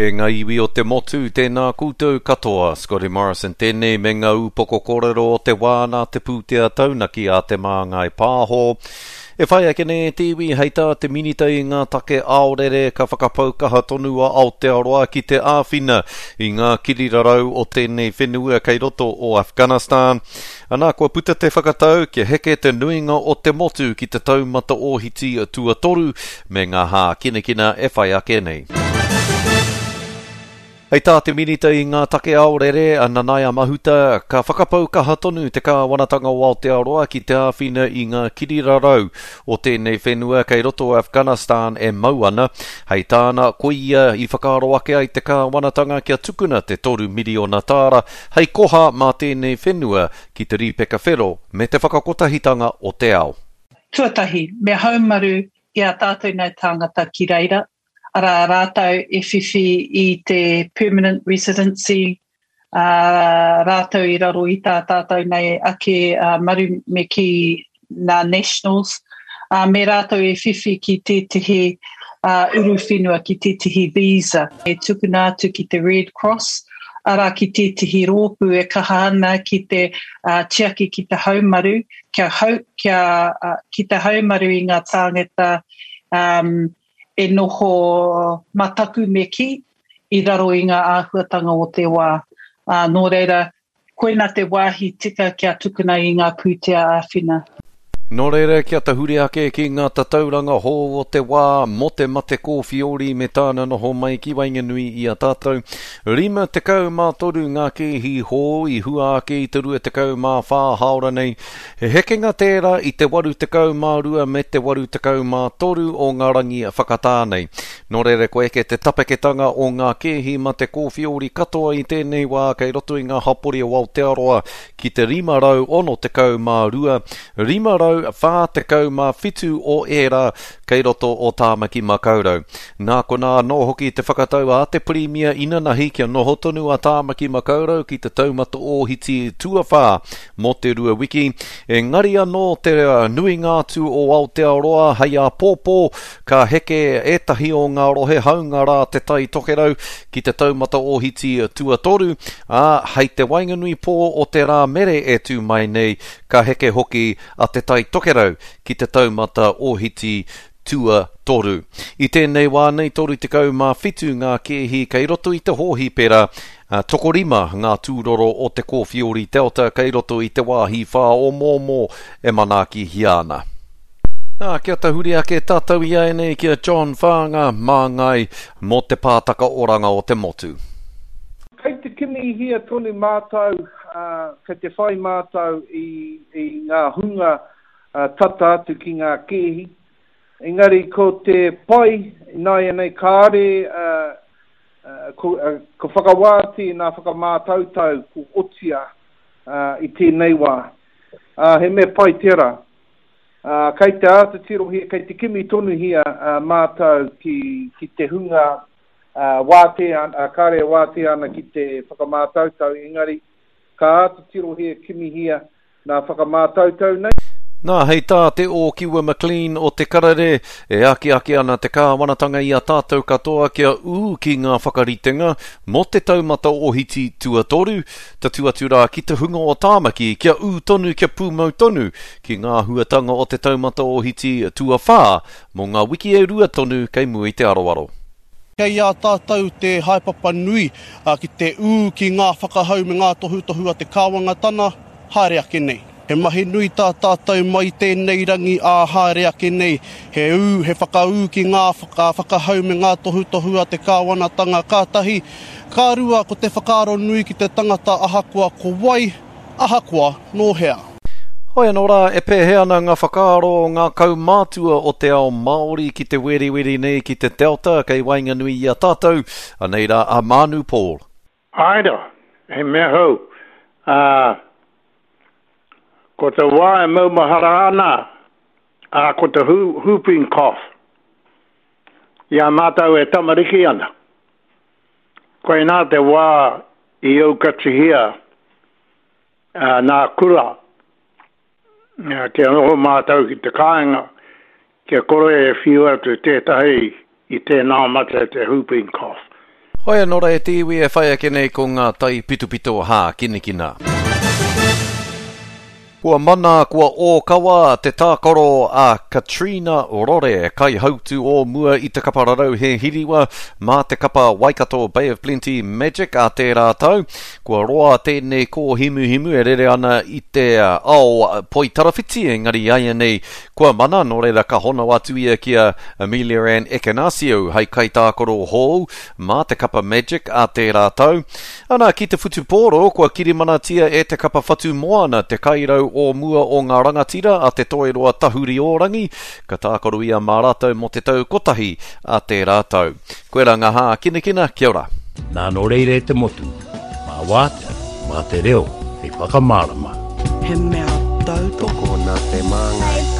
E ngā iwi o te motu, tēnā koutou katoa. Scotty Morrison tēnei me ngā ūpoko kōrero o te wā nā te pūtea taunaki a Te Māngai Pāho. E whai ake nei e te iwi hei tā te Minita i ngā take aorere ka whakapau kaha tonu a Aotearoa ki te āwhina i ngā kirirarau o tēnei whenua kei roto o Afghanistan. Ana, kua puta te whakatau kia heke te nuinga o te motu ki te taumata ōhiti tuatoru me ngā hākinakina e whai ake nei. Hei tā te Minita i ngā take aorere, a Nanaia Mahuta, ka whakapau kaha tonu te kāwanatanga o Aotearoa ki te āwhina i ngā kirirarau o tēnei whenua kei roto o Afghanistan e mau ana. Hei tāna, koia i whakaaro ake ai te kāwanatanga kia tukuna te 3 miriona tāra hei koha mā tēnei whenua ki te Rīpeka Whero me te whakakotahitanga o te ao. Tuatahi, me haumaru i a tātou nei tāngata ki reira, arā rātou e whiwhi i te permanent residency, ā, rātou i raro i tā tātou nei ake maru me kī nā nationals, ā, me rātou e whiwhi ki tētehi uruwhenua, ki tētehi visa e tukuna atu ki te Red Cross, arā ki tētehi rōpū e kaha ana ki te tiaki ki te haumaru, kia hau, kia, ki te haumaru i ngā tāngata um, e noho mataku me kī i raro i ngā āhuatanga o te wā. Ā, nō reira, koina te wāhi tika kia tukuna i ngā pūtea āwhina. Nō reira, kia tahuri ake ki ngā tatauranga hou o te wā mō te mate kōwhiori me tāna noho mai ki waenganui i a tātou. 53 ngā kēhi hou i hua ake i te 24 hāora nei. He hekenga tērā i te 82 me te 83 o ngā rangi whakatā nei. Nō reira kua eke te tapeketanga o ngā kēhi mate kōwhiori katoa i tēnei wā kei roto i ngā hapori o Aotearoa ki te 562, 547 o ērā kei roto o Tāmaki Makaurau. Nā konā anō hoki te whakatau a te Pirimia inanahi kia noho tonu a Tāmaki Makaurau ki te taumata ōhiti tuawhā mō te rua wiki, engari anō te nuinga atu o Aotearoa hei āpōpō ka heke ētahi o ngā rohe hāunga rā Te Tai Tokerau ki te taumata ōhiti tuatoru, ā, hei te waenganui pō o te rā mere e tū mai nei ka heke hoki a Te Tai Tokerau ki te taumata ōhiti tuatoru. I tēnei wā nei 37 ngā kēhi kei roto i te hōhipera, ā, tokorima ngā tūroro o te Kōwhiori Delta kei roto i te wāhi whāomoomo e manaakihia ana. Nā, kia tahuri ake tātou iaianei ki a John Whaanga, māngai mō te pātaka oranga o te motu. Kei te kimihia tonu mātou, ā, kei te whai mātou i, i ngā hunga tata atu ki ngā kēhi. Engari ko te pai ināianei kāore, ā, ko, ko whakawāti nā whakamātautau ko otia, ā, i tēnei wā. Ā, he mea pai tērā. Ā, kei te āta tirohia, kei te kimi tonuhia mātou ki, ki te hunga wātea, kāre e wātea ana ki te whakamātautau, engari ka āta tirohia, kimihia nā whakamātautau nei. Nā, hei tā Te Ōkiwa McLean o Te Karere, e akiaki ana te kāwanatanga i a tātou katoa kia ū ki ngā whakaritenga mō te taumata ohiti tuatoru, Tatū atu rā ki te hunga o Tāmaki kia ū tonu kia pūmau tonu ki ngā āhuatanga o te taumata ōhiti tuawhā mō ngā wiki e rua tonu kei mua i te aroaro. Kei a tātou te haepapa nui ki te ū ki ngā whakahau me ngā tohutohu a te Kāwangatana haere ake nei. He mahi nui tā tātou mai i tēnei rangi ā haere ake nei, he ū, he whakaū ki ngā whakahau me ngā tohutohu a te kāwanatanga ka tahi, ka rua ko te whakaaro nui ki te tangata ahakoa ko wai, ahakoa nō hea. Hoi anō rā, e pēhea ana ngā whakaaro o ngā kaumātua o te ao Māori ki te weriweri nei ki te Delta kei waenganui i a tātou, anei rā a Maanu Paul. Āe rā, he mea hou, ā, ko te wā e maumahara ana, ā, ko te whooping cough, i a mātou e tamariki ana. Koinā te wā i aukatihia nā kura, kia noho mātou ki te kāinga, kia kore e whiu atu tētahi i tēnā mate te whooping cough. Hoi anō rā e te iwi e whai ake nei ko ngā taipitopito hākinakina. Kua mana, kua ōkawa te tākaro a Katrina Rore, kaihautū o mua i te kapa rarauhe hiriwa mā te kapa Waikato Bay of Plenty Magic ā tērā tau. Kua roa tēnei kōhimuhimu e rere ana i te ao poitarawhiti, engari āianei kua mana, nō reira ka hono atu ia ki a Amelia Ann Ekenasio hei kaitākaro hou mā te kapa Magic ā tērā tau. Ana, ki te whutupōro, kua kirimanatia e te kapa Whatu Moana te kairau o mua o ngā rangatira a Te Toiroa Tahuriorangi, ka tākaro ia mā rātou mō te tau kotahi a tērā tau. Koirā ngā hākinakina, kia ora. Nā nō reira e te motu, mā wātea, mā te reo hei whakamārama. He mea tautoko. Tokona te māngai.